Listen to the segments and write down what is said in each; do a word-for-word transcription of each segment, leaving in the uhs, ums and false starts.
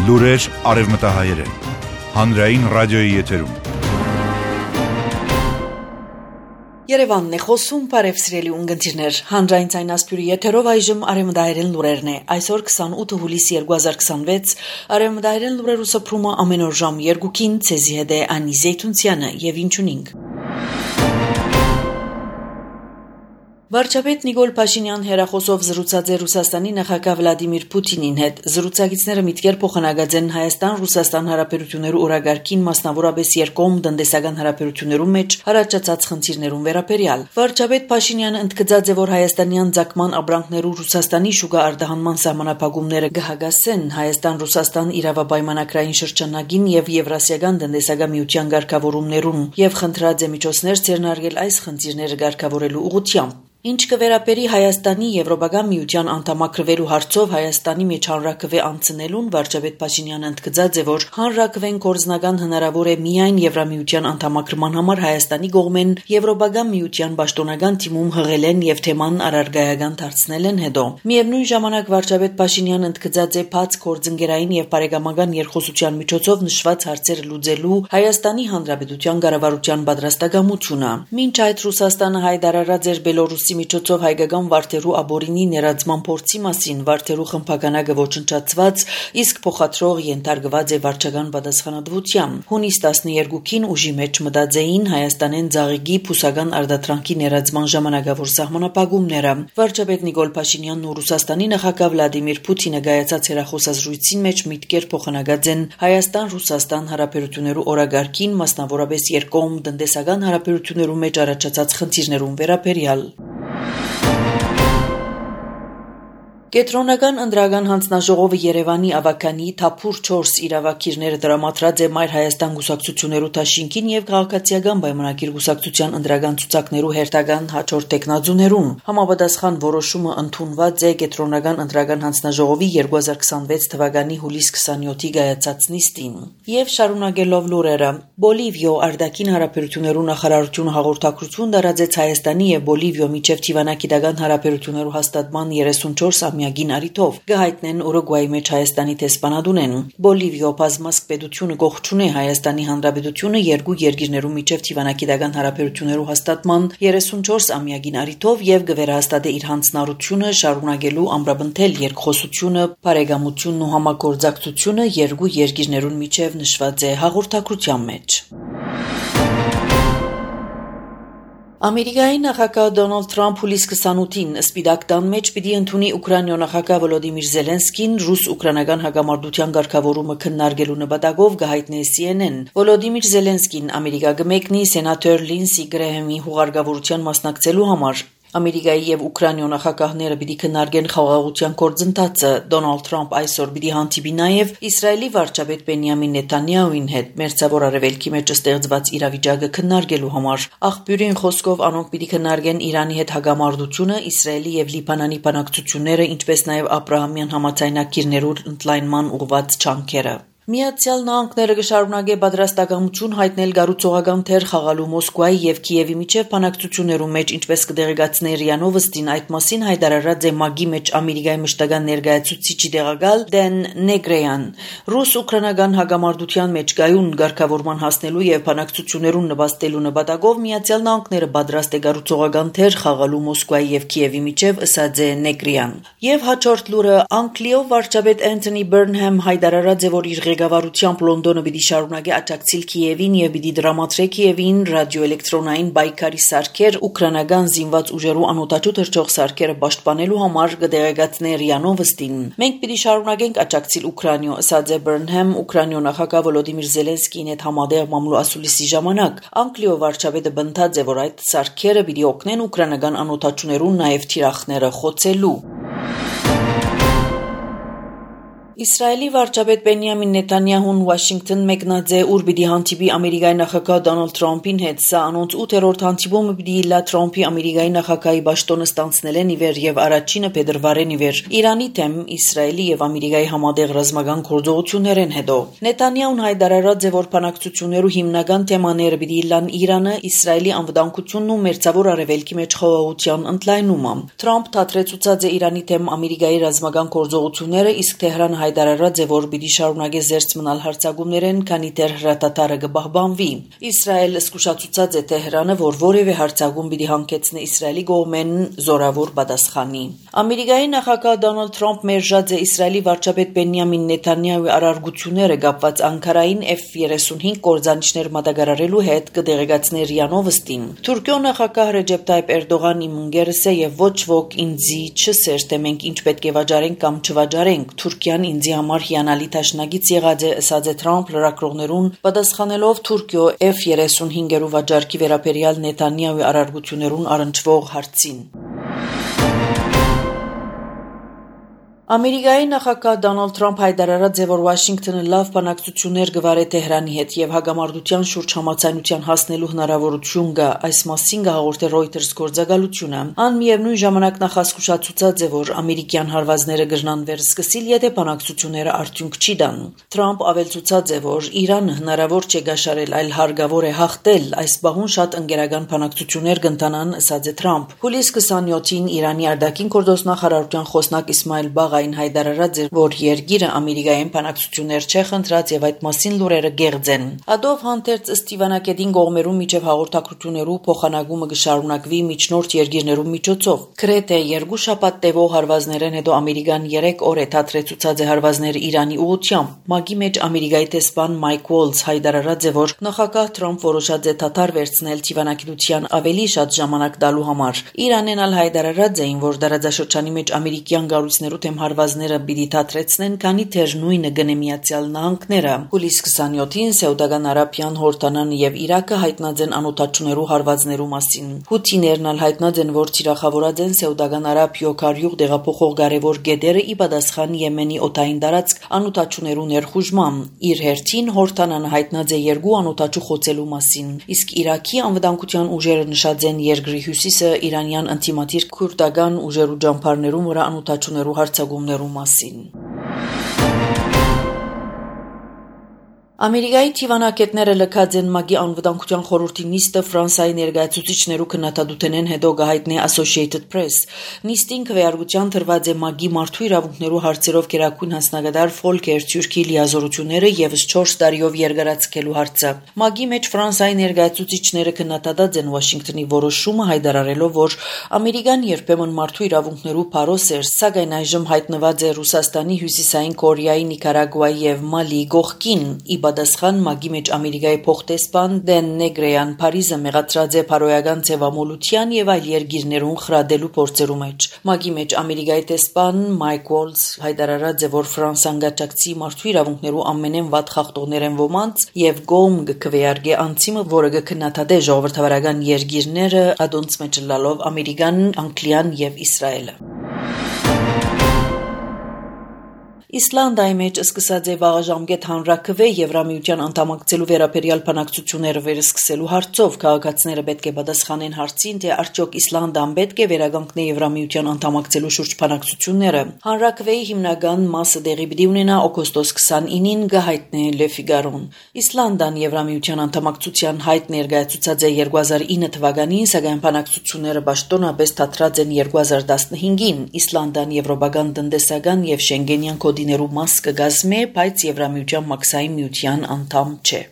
Լուրեր արևմտահայերեն, հանրային ռադիոյի եթերում։ Երևանն է խոսում, բարև սիրելի ունգընտիրներ, հանրային ցայնասպյուրի եթերով այժմ արևմտահայերեն լուրերն է։ Այսօր քսանութ հուլիս երկու հազար քսանվեց, արևմտահայերեն լուրերու սփռումը ամեն օր ժամ երկուքին, ցեզի հետ է Անի Զեյթունցյանը եւ ինչունինք։ Վարչապետ Նիկոլ Փաշինյան հերախոսով զրուցած է Ռուսաստանի նախագահ Վլադիմիր Պուտինին հետ։ Զրուցակիցները միտքեր փոխանակած են Հայաստան-Ռուսաստան հարաբերություններու օրագարկին, մասնավորապես երկկողմ տնտեսական հարաբերություններու մեջ առաջացած խնդիրներուն վերաբերյալ։ Վարչապետ Փաշինյանը ընդգծած է, որ հայաստանյան ցակման ապրանքներու Ռուսաստանի շուկա արտահանման սահմանափակումները կհագասեն Հայաստան-Ռուսաստան իրավապայմանագրային շրջանագին եւ Եվրասիական տնտեսական միության ղեկավարումներուն եւ խնդրած է միջոցներ ձեռնարկել այս խնդիրները ղեկավարելու ուղղությամբ։ Ինչ կվերապերի Հայաստանի Եվրոպական միության անդամակրվելու հարցով Հայաստանի մեջ հանրակրվե անցնելուն, վարչապետ Փաշինյանը ընդգծած է, որ հանրակրվեն կորձնական հնարավոր է միայն Եվրամիության անդամակրման համար Հայաստանի կողմեն Եվրոպական միության պաշտոնական թիմում հղել են եւ թեման առարգայական դարձնել են հետո։ Միևնույն ժամանակ վարչապետ Փաշինյանը ընդգծած է բաց կորձընկերային եւ բարեկամական երկխոսության միջոցով նշված հարցերը լուծելու Հայաստանի Հանրապետության կառավարության պատրաստակամությունը։ Մինչ այդ Ռուսաստանը հայտարարած էր Բելոռուսի միջոցով հայկական վարդերու աբորինի ներածման փորձի մասին, վարդերու խմբականակը ոչնչացված, իսկ փոխադրող ենթարկված է վարչական պատասխանատվության։ Հունիս տասներկուին ուժի մեջ մտած էին Հայաստանեն ցաղիկի փուսական արտադրանքի ներածման ժամանակավոր սահմանափակումները։ Վարչապետ Նիկոլ Փաշինյանն ու Ռուսաստանի նախագահ Վլադիմիր Պուտինը գայացած հերախոսազրույցին մեջ միտքեր փոխանակած են Հայաստան-Ռուսաստան հարաբերություններու օրագարկին, մասնավորապես երկկողմ տնտեսական հարաբերություններու մեջ առաջացած խնդիրներուն վերաբերյալ։ Կենտրոնական ընտրական հանձնաժողովը Երևանի ավականի թափուր չորս իրավակիրները դրամատրած է Մայր Հայաստան գուսակցություններու դաշինքին եւ քաղաքացիական պայմանագիր գուսակցության ընտրական ցուցակներու հերթական հաջորդ տեխնազուներուն։ Համապատասխան որոշումը ընդունված է Կենտրոնական ընտրական հանձնաժողովի երկու հազար քսանվեց թվականի հուլիս քսանյոթի գայացած նիստին։ Եվ շարունակելով լուրերը, Բոլիվիո արտաքին հարաբերություններու նախարարությունը հաղորդակցություն տարածեց Հայաստանի եւ Բոլիվիո միջև թիվանակիտական հարաբերություններու հաստատման երեսունչորս ամյակին արիթով գահիտնեն Ուրուգվայի մեջ Հայաստանի տեսփանադունեն։ Բոլիվիո բազմազգ պետությունը գողջունե Հայաստանի Հանրապետությունը երկու երկիրներու միջև թիվանակիտական հարաբերություններու հաստատման երեսունչորս ամյակին արիթով եւ գվերահաստատե իր հանձնառությունը շարունակելու ամրապնդել երկխոսությունը, բարեկամությունն ու համագործակցությունը երկու երկիրներուն միջև նշված է հաղորդակցության մեջ։ Ամերիկայի նախագահ Դոնալդ Թրամփ հուլիս քսանութին Սպիտակ տան մեջ պիտի ընդունի Ուկրաինայի նախագահ Վոլոդիմիր Զելենսկին ռուս-ուկրաինական հակամարտության ղեկավարումը քննարկելու նպատակով գահիտնե C N N։ Վոլոդիմիր Զելենսկին Ամերիկա կմեկնի սենատոր Լինսի Գրեհեմի հուղարկավորության մասնակցելու համար։ Ամերիկայի եւ Ուկրաինայի նախագահները պիտի քննարկեն խաղաղության գործընթացը։ Դոնալդ Թրամփ այսօր պիտի հանդիպի նաեւ Իսրայելի վարչապետ Բենյամին Նեթանյահուին հետ Մերձավոր Արևելքի մեջ ստեղծված իրավիճակը քննարկելու համար։ Աղբյուրին խոսքով անոնք պիտի քննարկեն Իրանի հետ հակամարտությունը, Իսրայելի եւ Լիբանանի բանակցությունները, ինչպես նաեւ Աբրահամյան համաձայնագիրներու ընդլայնման ուղղված ջանքերը։ Միացյալ Նահանգները կշարունակե պատրաստակամություն հայտնել գառուցողական թեր խաղալու Մոսկվայի եւ Կիևի միջև բանակցություններու մեջ, ինչպես կդեղեկացնի ՌԻԱ Նովոստին, այդ մասին հայտարարած է ՄԱԳ-ի մեջ Ամերիկայի մշտական ներկայացուցիչի տեղակալ Դեն Նեգրեյան։ Ռուս-ուկրաինական հակամարտության մեջ գայուն ղեկավարման հասնելու եւ բանակցություններուն նպաստելու նպատակով Միացյալ Նահանգները պատրաստ է գառուցողական թեր խաղալու Մոսկվայի եւ Կիևի միջև, ըսած է Նեգրեյան։ Եվ հաջորդ լուրը Անգլիո վարչապետ Անթոնի Բըրնհեմ հայտարարած է, որ իր ղեկավարությամբ Լոնդոնը պիտի շարունակի աջակցել Կիևին եւ պիտի դրամատրի Կիևին ռադիոէլեկտրոնային բայկարի սարքեր ուկրաինական զինված ուժերու անօդաչու թռչող սարքերը պաշտպանելու համար, կդեղեկացնի ՌԻԱ Նովոստին։ Մենք պիտի շարունակենք աջակցել Ուկրաինա, ասաց է Բըրնհեմ Ուկրաինայի նախագահ Վոլոդիմիր Զելենսկիին հետ համատեղ մամլու ասուլիսի ժամանակ։ Անգլիո վարչապետը բնդած է, որ այդ սարքերը պիտի օգնեն ուկրաինական անօդաչուներուն նաեւ թիրախները խոցելու։ Իսրայելի վարչապետ Բենյամին Նեթանյահուն Վաշինգտոն մեկնած է, ուր պիտի հանդիպի Ամերիկայի նախագահ Դոնալդ Թրամփին հետ։ Սա անոնց ութերորդ հանդիպումը պիտի լա Թրամփի Ամերիկայի նախագահի պաշտոնը ստանցնելեն ի վեր եւ առաջինը փետրվարին ի վեր Իրանի դեմ Իսրայելի եւ Ամերիկայի համատեղ ռազմական գործողություններեն հետո։ Նեթանյահուն հայտարարած է, որ բանակցություններու հիմնական թեմաները պիտի լան Իրանը, Իսրայելի անվտանգությունն ու Մերձավոր Արևելքի մեջ խաղաղության ընդլայնումը։ Թրամփ թատրեցուցած է Իրանի դեմ Ամերիկայի ռազմական գործողությունները, իսկ Թեհրանը հայտարարած է, որ պիտի շարունակի զերծ մնալ հարձակումներեն, քանի դեռ հրատատարը կպահպանվի։ Իսրայելը զսկուշացուցած է Թեհրանը, որ որևէ հարձակում պիտի հանգեցնի Իսրայելի կողմեն զորավոր պատասխանի։ Ամերիկայի նախագահ Դոնալդ Թրամփ մերժած է Իսրայելի վարչապետ Բենյամին Նեթանյահուի արարգությունները կապված Անկարային Էֆ երեսունհինգ կորզանիչներ մատակարարելու հետ, կդեղեկացներ ՌԻԱ Նովոստին։ Թուրքիո նախագահ Ռեջեփ Թայիփ Էրդողան իմ ընկերս է եւ ոչ ոք ինձի չսեր, թե մենք ինչ պետք է վաճառենք կամ չվաճառենք։ Թուրքիան ինձի համար հիանալի դաշնակից եղած է, ըսած է Թրամփ լրագրողներուն, պատասխանելով Թուրքիո Էֆ երեսունհինգերու վաճառքի վերաբերյալ Նեթանյահուի արարգություններուն առնչվող հարցին։ Ամերիկայի նախագահ Դոնալդ Թրամփ հայտարարած է, որ Վաշինգտոնը լավ բանակցություններ կվարի Թեհրանի հետ եւ հագամարտության շուրջ համաձայնության հասնելու հնարավորություն կա, այս մասին հաղորդել Reuters գործակալությունը։ Ան միևնույն ժամանակ նախազգուշացուցած է, որ ամերիկյան հարվածները կրնան վերսկսիլ, եթե բանակցությունները արդյունք չի տան։ Թրամփ ավելցուցած է, որ Իրանը հնարավոր չէ գաշարել, այլ հարկավոր է հաղթել, այս բահուն շատ ընկերական բանակցություններ կընթանան, ըսած է Թրամփ։ Հուլիս քսանյոթին Իրանի արտաքին գործնախարարության խոսնակ Իսմայել Բաղային հայտարարած է, որ երկիրը Ամերիկայեն բանակցություններ չէ խնդրած եւ այդ մասին լուրերը գեղձ են։ Ադով հանդերձ Ստիվանակետին կողմերու միջև հաղորդակցություններու փոխանակումը կշարունակվի միջնորդ երկիրներու միջոցով։ Գրեթե երկու շաբաթ տևող հարվածներեն հետո Ամերիկան երեք օր է թատրեցուցած է հարվածները Իրանի ուղղությամբ։ ՄԱԿ-ի մեջ Ամերիկայի տեսփան Մայք Ուոլզ հայտարարած է, որ նախագահ Թրամփ որոշած է թաթար վերցնել Ստիվանակետության ավելի շատ ժամանակ տալու համար։ Իրանեն ալ հայտարարած էին, որ դարաձաշրջանի մեջ ամերիկյան գառույցներու թեմ հարվածները պիտի թատրեցնեն, քանի դեռ նույնը գնե Միացյալ Նահանգները։ Հուլիս քսանյոթին Սաուդական Արաբիան, Հորդանանը եւ Իրաքը հայտնած են անօթաչուներու հարվածներու մասին։ Հութիներն ալ հայտնած են, որ թիրախավորած են Սաուդական Արաբիո քարյուղ դեղափոխող կարևոր գետերը ի պատասխան Եմենի օդային տարածք անօթաչուներու ներխուժման։ Իր հերթին Հորդանանը հայտնած է երկու անօթաչու խոցելու մասին։ Իսկ Իրաքի անվտանգության ուժերը նշած են երկրի հյուսիսը իրանյան ինտիմատիր քուրդական ուժերու ջամփարներու վրա անօթաչուներու հարձակումներու մասին։ Ամերիկայի թիվանակետները լքած են ՄԱԿ-ի անվտանգության խորհրդի նիստը Ֆրանսիայի ներկայացուցիչներու քննադատութենեն հետո գահիտնի Associated Press։ Նիստին քվեարկության դրված է ՄԱԿ-ի մարդու իրավունքներու հարցերով գերագույն հանձնագետար Ֆոլկեր Թյուրքի լիազորությունները եւս չորս տարիով երկարացկելու հարցը։ ՄԱԿ-ի մեջ Ֆրանսիայի ներկայացուցիչները քննադատած են Վաշինգտոնի որոշումը, հայտարարելով, որ Ամերիկան երբեմն մարդու իրավունքներու փարոս էր, սակայն այժմ հայտնված է Ռուսաստանի, Հյուսիսային Կորեայի, Նիկարագուայի եւ Մալի գողքին։ Պատասխան ՄԱԿ-ի մեջ Ամերիկայի փոխտեսպան Դեն Նեգրեյան Փարիզը մեղադրած է փարոյական ձևամոլության եւ այլ երկիրներուն խրադելու փորձերու մեջ։ ՄԱԿ-ի մեջ Ամերիկայի տեսպան Մայք Ուոլզ հայտարարած է, որ Ֆրանսիան գաճակցի մարդու իրավունքներու ամենեն վատ խախտողներեն ոմանց եւ գոմ կքվեարկե անցիմը, որը կքննադատե ժողովրդավարական երկիրները, ադոնց մեջ լալով Ամերիկան, Անգլիան եւ Իսրայելը։ Իսլանդիայի մեջ սկսած է վաղաժամկետ հանրաքվե Եվրամիության անդամակցելու վերաբերյալ բանակցությունները վերսկսելու հարցով քաղաքացիները պետք է պատասխանեն հարցին, թե արդյոք Իսլանդիան պետք է վերականգնի Եվրամիության անդամակցելու շուրջ բանակցությունները։ Հանրաքվեի հիմնական մասը դեղի պիտի ունենա օգոստոս քսանինին, գահիտնի Le Figaro-ն։ Իսլանդիան Եվրամիության անդամակցության հայտ ներկայացուցած է երկու հազար ինը թվականին, սակայն բանակցությունները պաշտոնապես թատրած են երկու հազար տասնհինգին։ Իսլանդիան եվրոպական տնտեսական եւ Շենգենյան կոդի ներու մաս կգազմե, բայց Եվրամիության մաքսային միության անդամ չէ։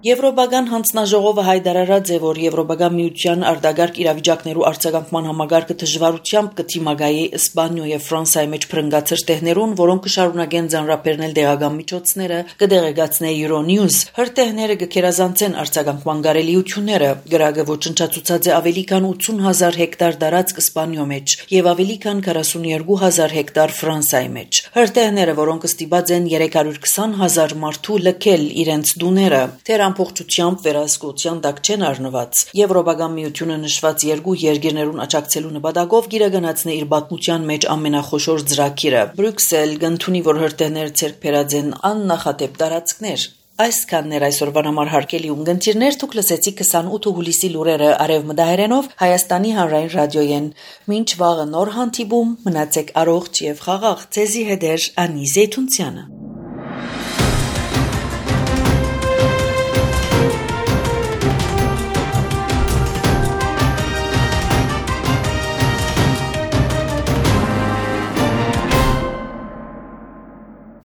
Եվրոպական հանձնաժողովը հայտարարած է, որ Եվրոպական միության արտագարգ իրավիճակներու արձագանքման համագարկը դժվարությամբ կդիմակայի Իսպանիա եւ Ֆրանսիայի մեջ փրկած հրթեհներուն, որոնք կշարունակեն ձանրապերնել դեղական միջոցները, կդեղեկացնե Euronews։ Հրթեհները կքերազանցեն արձագանքման կարելիությունները։ Գրագը ոչնչացուցած է ավելի քան ութուն հազար հեկտար տարածք Իսպանիո մեջ եւ ավելի քան քառասունյոթ հազար հեկտար Ֆրանսիայի մեջ։ Հրթեհները, որոնք ստիպած են երեք հարյուր քսան հազար մարդու լքել իրենց դուները, Փոխչությամբ վերահսկողության տակ չեն առնված։ Եվրոպական միությունը նշված երկու երկիրներուն աջակցելու նպատակով գիրագանացնի իր պատմության մեջ ամենախոշոր ծրագիրը։ Բրյուսել կընդունի, որ հրթեհները ցերկ բերած են աննախադեպ տարածքներ։ Այսքանն էր այսօրվան համար հարգելի ունգընտիրներ, դուք լսեցիք քսանութ հուլիսի լուրերը արևմտահայերենով Հայաստանի հանրային ռադիոյեն։ Մինչ վաղը նոր հանդիպում, մնացեք առողջ եւ խաղաղ։ Ձեզի հետ է Անի Զեյթունցյանը։